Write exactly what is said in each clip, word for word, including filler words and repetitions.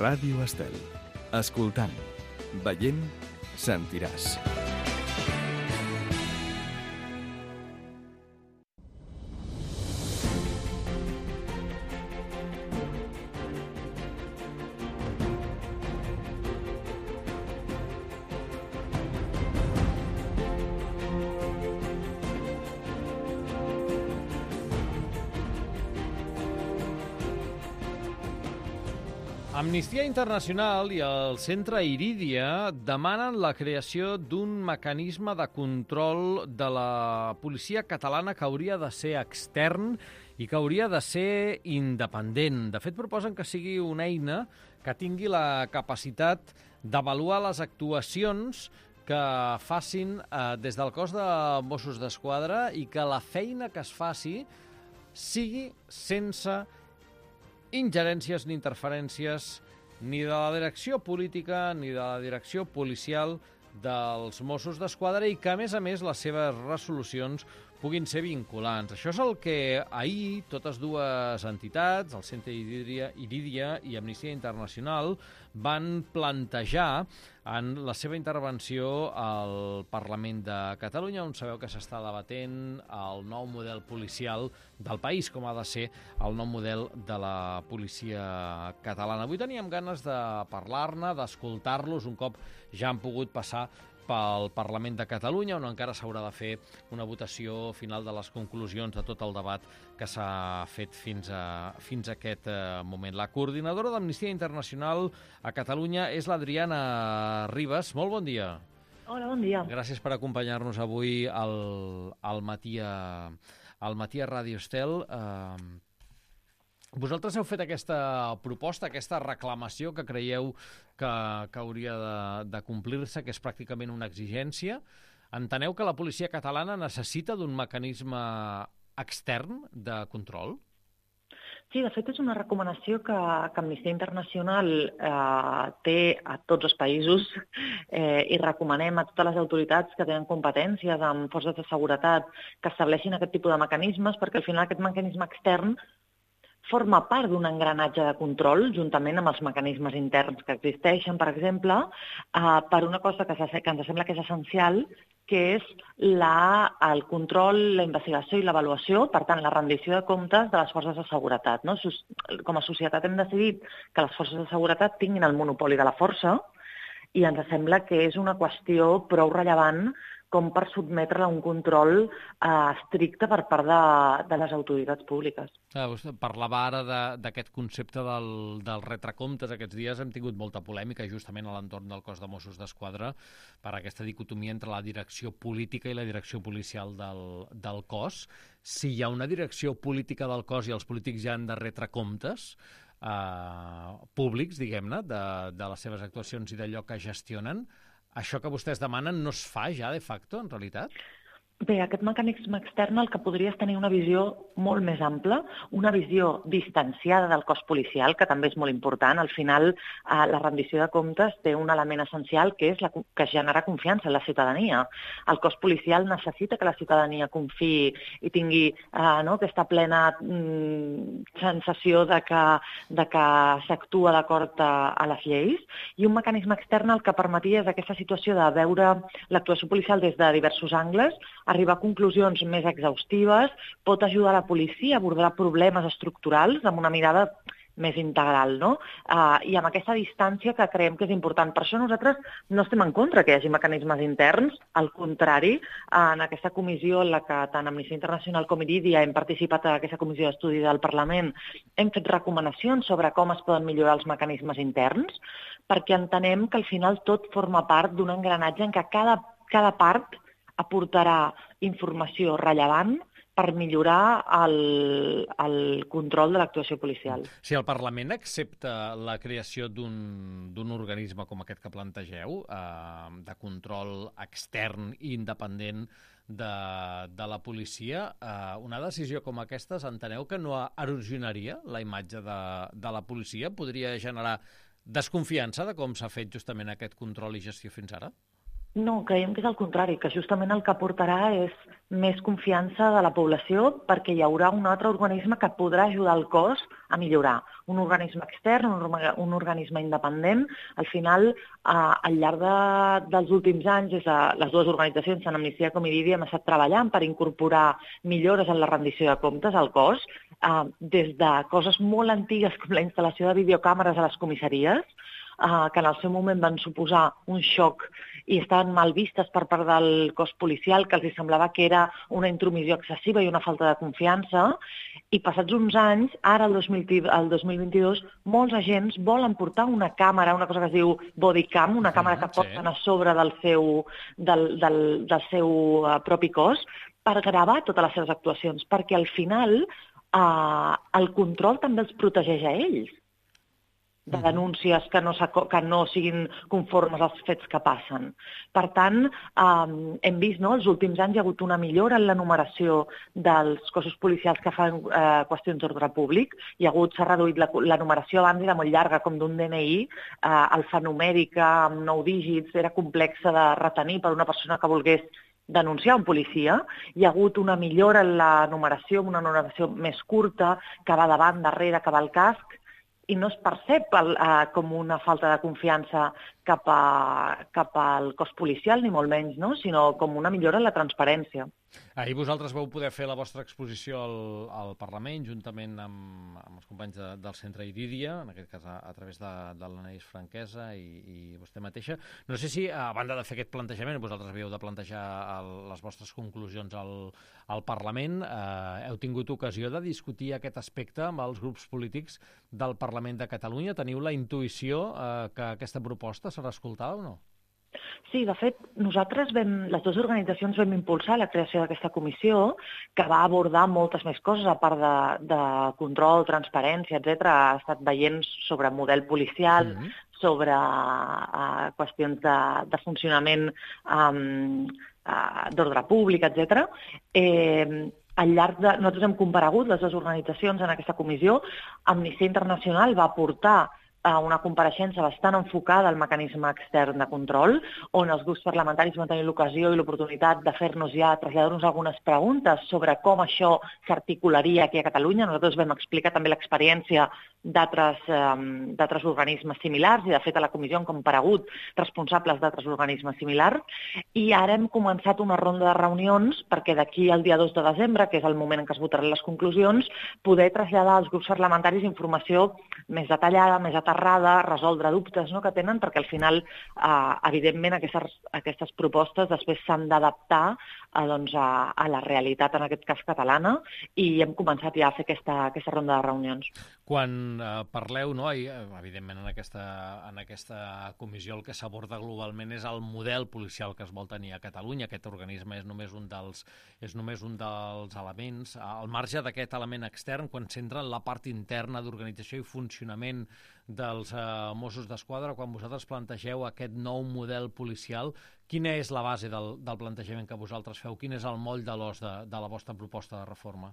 Ràdio Estel. Escoltant, veient, sentiràs. Amnistia Internacional i el Centre Irídia demanen la creació d'un mecanisme de control de la policia catalana que hauria de ser extern i que hauria de ser independent. De fet, proposen que sigui una eina que tingui la capacitat d'avaluar les actuacions que facin eh, des del cos de Mossos d'Esquadra i que la feina que es faci sigui sense ingerències ni interferències ni de la direcció política ni de la direcció policial dels Mossos d'Esquadra i que, a més a més, les seves resolucions puguin ser vinculants. Això és el que ahir totes dues entitats, el Centre Irídia, Irídia i Amnistia Internacional, van plantejar en la seva intervenció al Parlament de Catalunya, on sabeu que s'està debatent el nou model policial del país, com ha de ser el nou model de la policia catalana. Avui teníem ganes de parlar-ne, d'escoltar-los, un cop ja han pogut passar pel Parlament de Catalunya, on encara s'haurà de fer una votació final de les conclusions de tot el debat que s'ha fet fins a, fins a aquest eh, moment. La coordinadora d'Amnistia Internacional a Catalunya és l'Adriana Ribas. Molt bon dia. Hola, bon dia. Gràcies per acompanyar-nos avui al, al matí a, al matí a Ràdio Estel. Eh, Vosaltres heu fet aquesta proposta, aquesta reclamació que creieu que, que hauria de, de complir-se, que és pràcticament una exigència. Enteneu que la policia catalana necessita d'un mecanisme extern de control? Sí, de fet és una recomanació que, que Amnistia Internacional eh, té a tots els països eh, i recomanem a totes les autoritats que tenen competències amb forces de seguretat que estableixin aquest tipus de mecanismes, perquè al final aquest mecanisme extern forma part d'un engranatge de control, juntament amb els mecanismes interns que existeixen, per exemple, eh, per una cosa que, que ens sembla que és essencial, que és la, el control, la investigació i l'avaluació, per tant, la rendició de comptes de les forces de seguretat. No? Com a societat hem decidit que les forces de seguretat tinguin el monopoli de la força i ens sembla que és una qüestió prou rellevant com per sotmetre-la a un control eh, estricte per part de, de les autoritats públiques. Ah, vostè parlava ara d'aquest concepte del, del retrecomptes. Aquests dies hem tingut molta polèmica justament a l'entorn del cos de Mossos d'Esquadra per aquesta dicotomia entre la direcció política i la direcció policial del, del cos. Si hi ha una direcció política del cos i els polítics ja han de retre comptes eh, públics, diguem-ne, de, de les seves actuacions i d'allò que gestionen, això que vostès demanen no es fa ja, de facto, en realitat? Bé, aquest mecanisme extern el que podria és tenir una visió molt més ampla, una visió distanciada del cos policial, que també és molt important. Al final, eh, la rendició de comptes té un element essencial que és la, que genera confiança en la ciutadania. El cos policial necessita que la ciutadania confiï i tingui eh, no, aquesta plena mm, sensació de que, de que s'actua d'acord a, a les lleis, i un mecanisme extern el que permetia és aquesta situació de veure l'actuació policial des de diversos angles, arribar a conclusions més exhaustives, pot ajudar la policia a abordar problemes estructurals amb una mirada més integral, no? Uh, I amb aquesta distància que creiem que és important. Per això nosaltres no estem en contra que hi hagi mecanismes interns, al contrari, en aquesta comissió en la que tant Amnistia Internacional com Irídia hem participat en aquesta comissió d'estudi del Parlament, hem fet recomanacions sobre com es poden millorar els mecanismes interns, perquè entenem que al final tot forma part d'un engranatge en què cada, cada part aportarà informació rellevant per millorar el, el control de l'actuació policial. Si el Parlament accepta la creació d'un organisme com aquest que plantegeu, eh, de control extern i independent de, de la policia, eh, una decisió com aquesta, enteneu que no erosionaria la imatge de, de la policia? Podria generar desconfiança de com s'ha fet justament aquest control i gestió fins ara? No, creiem que és el contrari, que justament el que portarà és més confiança de la població perquè hi haurà un altre organisme que podrà ajudar el cos a millorar. Un organisme extern, un, un organisme independent. Al final, eh, al llarg de, dels últims anys, des de les dues organitzacions, tant Amnistia com Irídia, hem estat treballant per incorporar millores en la rendició de comptes al cos, eh, des de coses molt antigues com la instal·lació de videocàmeres a les comissaries, eh, que en el seu moment van suposar un xoc i estaven mal vistes per part del cos policial, que els semblava que era una intromissió excessiva i una falta de confiança, i passats uns anys, ara el dos mil vint-i-dos, molts agents volen portar una càmera, una cosa que es diu bodycam, una càmera que porten a sobre del seu, del, del, del seu propi cos, per gravar totes les seves actuacions, perquè al final eh, el control també els protegeix a ells de denúncies que no, que no siguin conformes als fets que passen. Per tant, eh, hem vist, no?, els últims anys hi ha hagut una millora en la numeració dels cossos policials que fan eh, qüestions d'ordre públic. Hi ha hagut, s'ha reduït la, la numeració abans era molt llarga, com d'un D N I, eh, alfanumèrica, amb nou dígits, era complexa de retenir per una persona que volgués denunciar un policia. Hi ha hagut una millora en la numeració, una numeració més curta, que va davant, darrere, que va al casc, i no es percep el, eh, com una falta de confiança cap, a, cap al cos policial, ni molt menys, no?, sinó com una millora en la transparència. Ahir vosaltres vau poder fer la vostra exposició al, al Parlament, juntament amb, amb els companys de, del Centre Irídia, en aquest cas a, a través de, de l'Anaïs Franquesa i, i vostè mateixa. No sé si, a banda de fer aquest plantejament, vosaltres havíeu de plantejar el, les vostres conclusions al, al Parlament, eh, heu tingut ocasió de discutir aquest aspecte amb els grups polítics del Parlament de Catalunya? Teniu la intuïció eh, que aquesta proposta serà escoltada o no? Sí, de fet, nosaltres vam, les dues organitzacions vam impulsar la creació d'aquesta comissió que va abordar moltes més coses, a part de, de control, transparència, etcètera. Ha estat veient sobre model policial, mm-hmm. sobre uh, qüestions de, de funcionament um, uh, d'ordre públic, etcètera. Eh, al llarg de... Nosaltres hem comparegut les dues organitzacions en aquesta comissió. Amnistia Internacional va portar a una compareixença bastant enfocada al mecanisme extern de control, on els grups parlamentaris van tenir l'ocasió i l'oportunitat de fer-nos ja, traslladar-nos algunes preguntes sobre com això s'articularia aquí a Catalunya. Nosaltres vam explicar també l'experiència d'altres um, d'altres organismes similars, i de fet a la comissió han comparegut responsables d'altres organismes similars, i ara hem començat una ronda de reunions perquè d'aquí al dia dos de desembre, que és el moment en què es votaran les conclusions, poder traslladar als grups parlamentaris informació més detallada, més aterrada, resoldre dubtes, no?, que tenen, perquè al final, eh, evidentment, aquestes, aquestes propostes després s'han d'adaptar a, doncs, a, a la realitat, en aquest cas catalana, i hem començat ja a fer aquesta, aquesta ronda de reunions. Quan eh, parleu, no, i, evidentment en aquesta, en aquesta comissió el que s'aborda globalment és el model policial que es vol tenir a Catalunya. Aquest organisme és només un dels, és només un dels elements. Al marge d'aquest element extern, quan s'entra en la part interna d'organització i funcionament dels eh, Mossos d'Esquadra, quan vosaltres plantegeu aquest nou model policial, quina és la base del, del plantejament que vosaltres feu? Quin és el moll de l'os de, de la vostra proposta de reforma?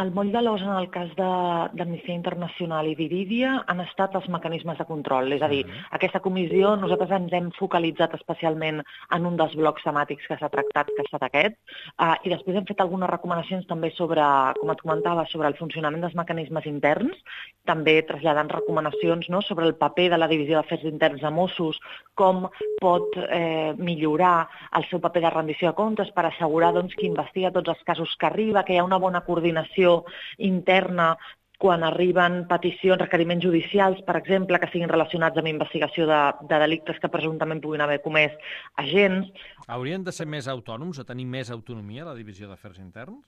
El moll de l'os en el cas d'Amnistia Internacional i d'Irídia han estat els mecanismes de control. És a dir, uh-huh. aquesta comissió nosaltres ens hem focalitzat especialment en un dels blocs temàtics que s'ha tractat, que ha estat aquest, uh, i després hem fet algunes recomanacions també sobre, com et comentava, sobre el funcionament dels mecanismes interns, també traslladant recomanacions, no?, sobre el paper de la Divisió d'Afers Interns de Mossos, com pot eh, millorar el seu paper de rendició de comptes per assegurar, doncs, que investiga tots els casos que arriba, que hi ha una bona coordinació interna quan arriben peticions, requeriments judicials, per exemple, que siguin relacionats amb investigació de, de delictes que presumptament puguin haver comès agents. Haurien de ser més autònoms, a tenir més autonomia a la Divisió d'Afers Interns?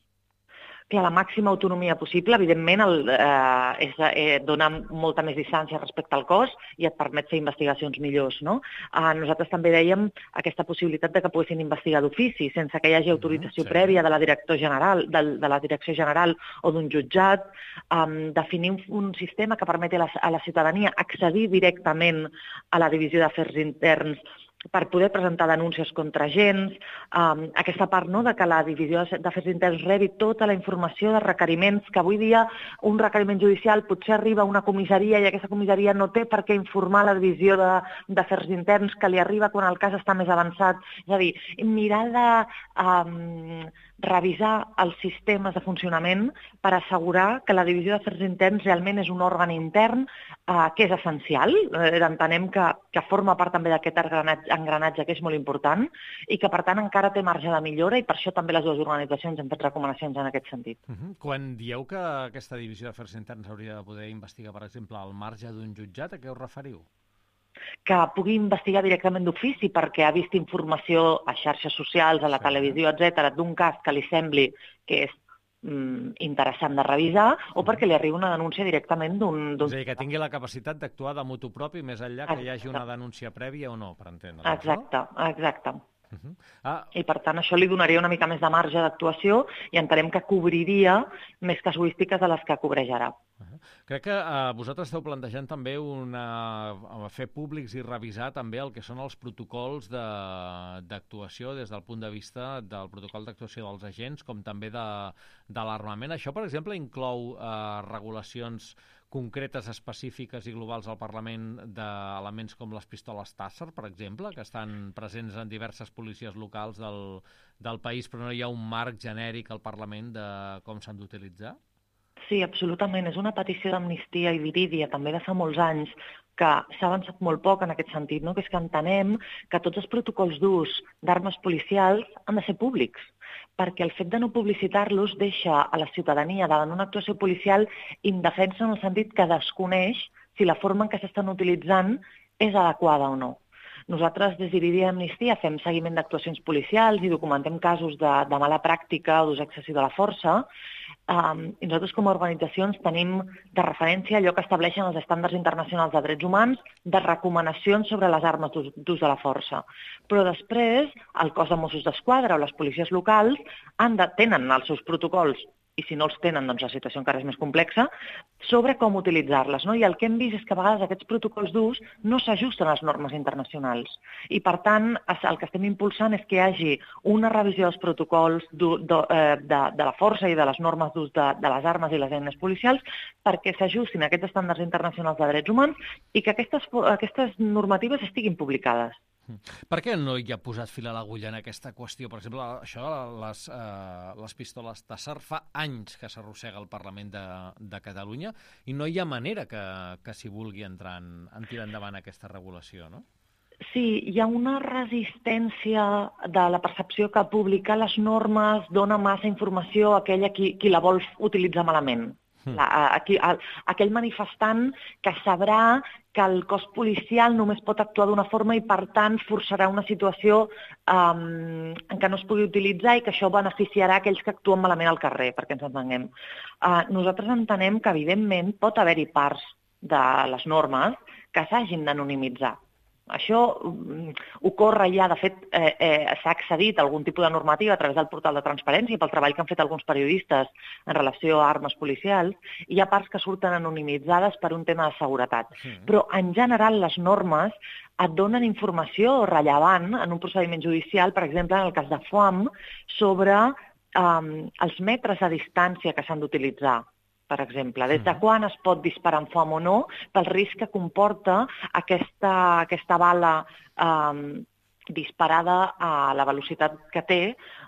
Clar, la màxima autonomia possible, evidentment, el, eh, és, eh, dona molta més distància respecte al cos i et permet fer investigacions millors, no? Eh, nosaltres també dèiem aquesta possibilitat de que poguessin investigar d'ofici, sense que hi hagi autorització mm, sí. prèvia de la, director general, de, de la direcció general o d'un jutjat, eh, definir un, un sistema que permeti a la, a la ciutadania accedir directament a la Divisió d'Afers Interns per poder presentar denúncies contra agents, um, aquesta part, no?, de que la Divisió d'Afers Interns rebi tota la informació de requeriments, que avui dia un requeriment judicial potser arriba a una comissaria i aquesta comissaria no té per què informar la Divisió d'Afers Interns, que li arriba quan el cas està més avançat. És a dir, mirar de, um, revisar els sistemes de funcionament per assegurar que la Divisió d'Afers Interns realment és un òrgan intern eh, que és essencial. Eh, entenem que, que forma part també d'aquest engranatge, engranatge que és molt important i que, per tant, encara té marge de millora i per això també les dues organitzacions han fet recomanacions en aquest sentit. Uh-huh. Quan dieu que aquesta Divisió d'Afers Interns hauria de poder investigar, per exemple, al marge d'un jutjat, a què us referiu? Que pugui investigar directament d'ofici perquè ha vist informació a xarxes socials, a la sí. televisió, etcètera, d'un cas que li sembli que és mm, interessant de revisar o perquè li arribi una denúncia directament d'un... És a dir, que tingui la capacitat d'actuar de motu propi més enllà que hi hagi una denúncia prèvia o no, per entendre. Exacte, no? exacte. Uh-huh. ah. I, per tant, això li donaria una mica més de marge d'actuació i entenem que cobriria més casuístiques de les que cobreix ara. Uh-huh. Crec que eh, vosaltres esteu plantejant també una, fer públics i revisar també el que són els protocols d'actuació des del punt de vista del protocol d'actuació dels agents com també de, de l'armament. Això, per exemple, inclou eh, regulacions concretes, específiques i globals al Parlament d'elements com les pistoles Taser, per exemple, que estan presents en diverses policies locals del, del país, però no hi ha un marc genèric al Parlament de com s'han d'utilitzar? Sí, absolutament. És una petició d'Amnistia i d'Irídia, també de fa molts anys, que s'ha avançat molt poc en aquest sentit, no? Que és que entenem que tots els protocols d'ús d'armes policials han de ser públics, perquè el fet de no publicitar-los deixa a la ciutadania davant una actuació policial indefensa en el sentit que desconeix si la forma en què s'estan utilitzant és adequada o no. Nosaltres, des d'Irídia i Amnistia, fem seguiment d'actuacions policials i documentem casos de, de mala pràctica o d'ús excessiu de la força. Um, i nosaltres, com a organitzacions, tenim de referència allò que estableixen els estàndards internacionals de drets humans, de recomanacions sobre les armes d'ús de la força. Però després, el cos de Mossos d'Esquadra o les policies locals han de, tenen els seus protocols, i si no els tenen, doncs la situació encara és més complexa, sobre com utilitzar-les. No? I el que hem vist és que a vegades aquests protocols d'ús no s'ajusten a les normes internacionals. I, per tant, el que estem impulsant és que hi hagi una revisió dels protocols de, de, de, de la força i de les normes d'ús de, de les armes i les eines policials perquè s'ajustin a aquests estàndards internacionals de drets humans i que aquestes, aquestes normatives estiguin publicades. Per què no hi ha posat fil a l'agulla en aquesta qüestió? Per exemple, això, les, eh, les pistoles Taser, fa anys que s'arrossega al Parlament de, de Catalunya i no hi ha manera que, que s'hi vulgui entrar en, en tirar endavant aquesta regulació, no? Sí, hi ha una resistència de la percepció que publicar les normes dona massa informació a aquella qui, qui la vol utilitzar malament. La, aquí, el, aquell manifestant que sabrà que el cos policial només pot actuar d'una forma i, per tant, forçarà una situació um, en què no es pugui utilitzar i que això beneficiarà aquells que actuen malament al carrer, perquè ens entenguem. Uh, nosaltres entenem que, evidentment, pot haver-hi parts de les normes que s'hagin d'anonimitzar. Això um, ocorre ja, de fet, eh, eh, s'ha accedit a algun tipus de normativa a través del portal de transparència pel treball que han fet alguns periodistes en relació a armes policials, i hi ha parts que surten anonimitzades per un tema de seguretat. Sí. Però, en general, les normes et donen informació rellevant en un procediment judicial, per exemple, en el cas de Foam, sobre um, els metres de distància que s'han d'utilitzar. Per exemple, des de quan es pot disparar amb foam o no, pel risc que comporta aquesta, aquesta bala eh, disparada a la velocitat que té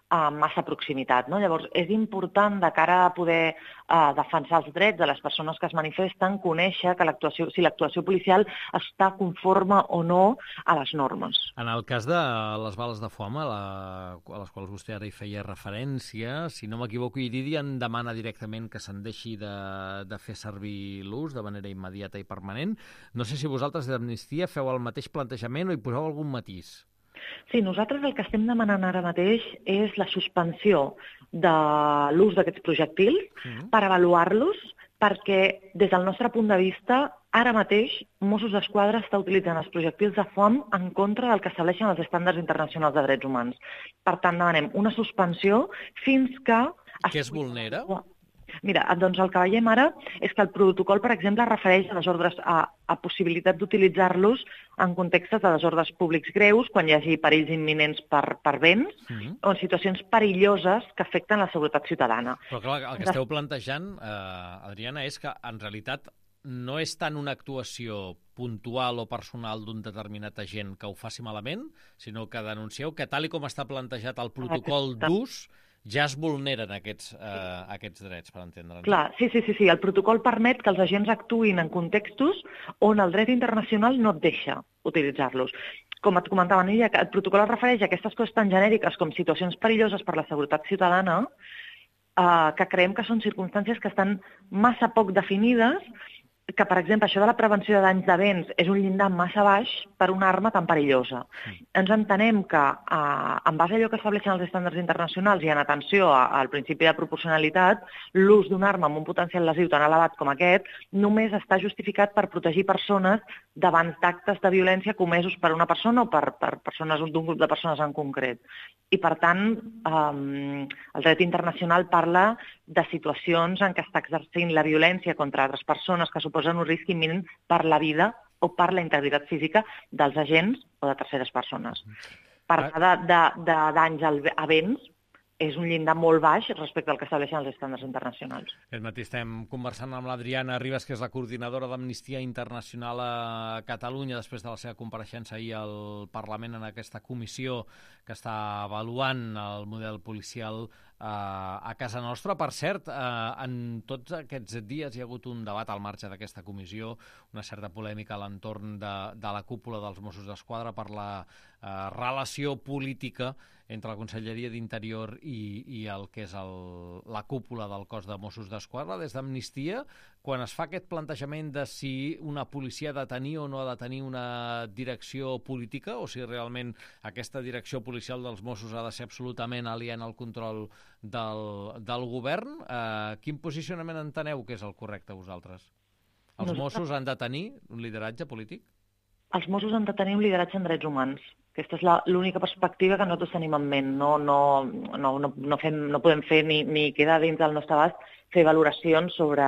a massa proximitat. No? Llavors, és important, de cara a poder eh, defensar els drets de les persones que es manifesten, conèixer que l'actuació, si l'actuació policial està conforme o no a les normes. En el cas de les bales de foam, a, la, a les quals vostè ara hi feia referència, si no m'equivoco, Irídia en demana directament que se'n deixi de, de fer servir l'ús de manera immediata i permanent. No sé si vosaltres d'Amnistia feu el mateix plantejament o hi poseu algun matís. Sí, nosaltres el que estem demanant ara mateix és la suspensió de l'ús d'aquests projectils mm. per avaluar-los, perquè des del nostre punt de vista, ara mateix Mossos d'Esquadra està utilitzant els projectils de foam en contra del que estableixen els estàndards internacionals de drets humans. Per tant, demanem una suspensió fins que... Què es vulnera? Mira, doncs el que veiem ara és que el protocol, per exemple, refereix a desordres, a, a possibilitat d'utilitzar-los en contextes de desordres públics greus, quan hi hagi perills imminents per, per béns, mm-hmm. o en situacions perilloses que afecten la seguretat ciutadana. Però clar, el que esteu plantejant, eh, Adriana, és que en realitat no és tant una actuació puntual o personal d'un determinat agent que ho faci malament, sinó que denuncieu que tal i com està plantejat el protocol d'ús, ja es vulneren aquests, eh, aquests drets, per entendre'ns. Clar, sí, sí, sí, sí. El protocol permet que els agents actuïn en contextos on el dret internacional no et deixa utilitzar-los. Com et comentava, Nídia, el protocol es refereix a aquestes coses tan genèriques com situacions perilloses per la seguretat ciutadana, eh, que creiem que són circumstàncies que estan massa poc definides, que, per exemple, això de la prevenció de danys de béns és un llindar massa baix per una arma tan perillosa. Mm. Ens entenem que, eh, en base a allò que estableixen els estàndards internacionals i en atenció a, al principi de proporcionalitat, l'ús d'una arma amb un potencial lesiu tan elevat com aquest només està justificat per protegir persones davant d'actes de violència comesos per una persona o per, per persones d'un grup de persones en concret. I, per tant, eh, el dret internacional parla de situacions en què està exercint la violència contra altres persones que suposen un risc imminent per la vida o per la integritat física dels agents o de terceres persones. Parlar de, de, de danys a béns és un llindar molt baix respecte al que estableixen els estàndards internacionals. Aquest matí estem conversant amb l'Adriana Ribas, que és la coordinadora d'Amnistia Internacional a Catalunya, després de la seva compareixença ahir al Parlament en aquesta comissió que està avaluant el model policial eh, a casa nostra. Per cert, eh, en tots aquests dies hi ha hagut un debat al marge d'aquesta comissió, una certa polèmica a l'entorn de, de la cúpula dels Mossos d'Esquadra per la eh, relació política entre la Conselleria d'Interior i, i el que és el, la cúpula del cos de Mossos d'Esquadra. Des d'Amnistia, quan es fa aquest plantejament de si una policia ha de tenir o no ha de tenir una direcció política, o si realment aquesta direcció policial dels Mossos ha de ser absolutament aliena al control del, del govern, eh, quin posicionament enteneu que és el correcte vosaltres? Els Mossos han de tenir un lideratge polític? Els Mossos han de tenir un lideratge en drets humans. Aquesta és l'única perspectiva que nosaltres tenim en ment. No, no, no, no, no, fem, no podem fer ni, ni queda dins del nostre abast fer valoracions sobre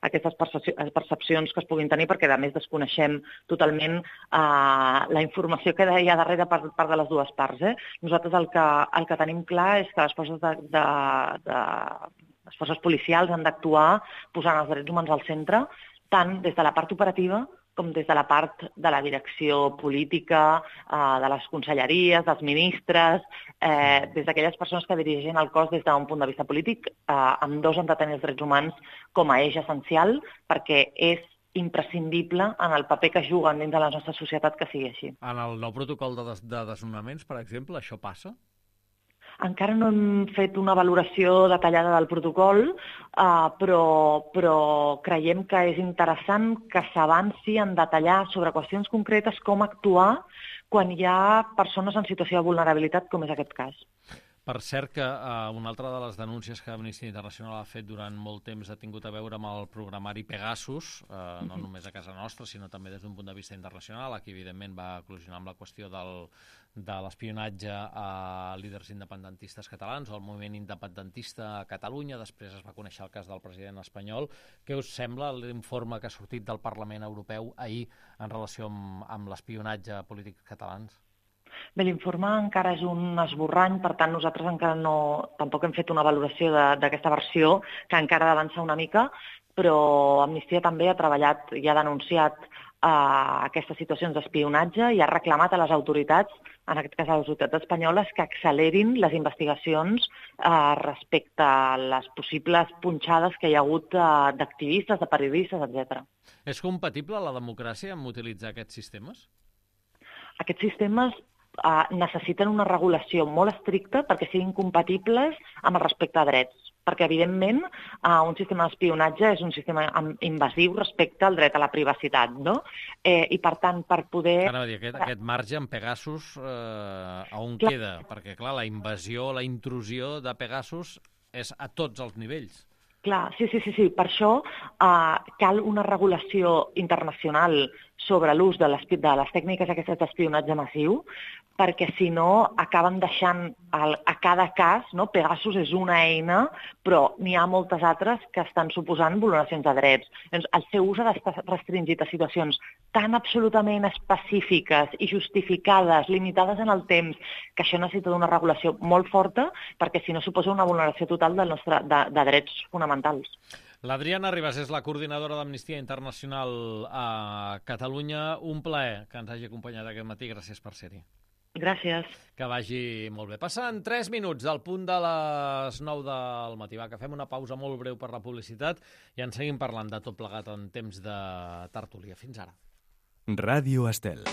aquestes percepcions que es puguin tenir, perquè a més desconeixem totalment eh, la informació que hi ha darrere per part de les dues parts. Eh? Nosaltres el que, el que tenim clar és que les forces de, de, de les forces policials han d'actuar posant els drets humans al centre, tant des de la part operativa com des de la part de la direcció política, eh, de les conselleries, dels ministres, eh, des d'aquelles persones que dirigeixen el cos des d'un punt de vista polític, eh, amb dos han de tenir els drets humans com a eix essencial, perquè és imprescindible en el paper que juguen dins de la nostra societat que sigui així. En el nou protocol de, des de desnonaments, per exemple, això passa? Encara no hem fet una valoració detallada del protocol, eh, però, però creiem que és interessant que s'avanci en detallar sobre qüestions concretes com actuar quan hi ha persones en situació de vulnerabilitat, com és aquest cas. Per cert que eh, una altra de les denúncies que Amnistia Internacional ha fet durant molt temps ha tingut a veure amb el programari Pegasus, eh, no només a casa nostra, sinó també des d'un punt de vista internacional. Aquí, evidentment, va col·lisionar amb la qüestió del, de l'espionatge a líders independentistes catalans o al moviment independentista a Catalunya. Després es va conèixer el cas del president espanyol. Què us sembla l'informe que ha sortit del Parlament Europeu ahir en relació amb, amb l'espionatge a polítics catalans? Bé, l'informe encara és un esborrany, per tant nosaltres encara no, tampoc hem fet una valoració d'aquesta versió, que encara ha d'avançar una mica, però Amnistia també ha treballat i ha denunciat eh, aquestes situacions d'espionatge i ha reclamat a les autoritats, en aquest cas a les autoritats espanyoles, que accelerin les investigacions eh, respecte a les possibles punxades que hi ha hagut eh, d'activistes, de periodistes, etcètera. És compatible la democràcia amb utilitzar aquests sistemes? Aquests sistemes Uh, necessiten una regulació molt estricta perquè siguin compatibles amb el respecte a drets. Perquè, evidentment, uh, un sistema d'espionatge és un sistema invasiu respecte al dret a la privacitat, no? Eh, I, per tant, per poder... Ara, dir, aquest, aquest marge en Pegasus, eh, a on clar. queda? Perquè, clar, la invasió, la intrusió de Pegasus és a tots els nivells. Clar, sí, sí, sí, sí. Per això eh, cal una regulació internacional sobre l'ús de, de les tècniques aquestes d'espionatge massiu, perquè si no acaben deixant el, a cada cas, no? Pegasus és una eina, però n'hi ha moltes altres que estan suposant vulneracions de drets. Doncs el seu ús ha d'estar restringit a situacions tan absolutament específiques i justificades, limitades en el temps, que això necessita una regulació molt forta, perquè si no suposa una vulneració total del nostre, de, de drets fonamentals. L'Adriana Ribas és la coordinadora d'Amnistia Internacional a Catalunya. Un plaer que ens hagi acompanyat aquest matí. Gràcies per ser-hi. Gràcies. Que vagi molt bé. Passen tres minuts del punt de les nou del matí. Va, que fem una pausa molt breu per la publicitat i en seguim parlant de tot plegat en temps de tertúlia. Fins ara. Ràdio Estel.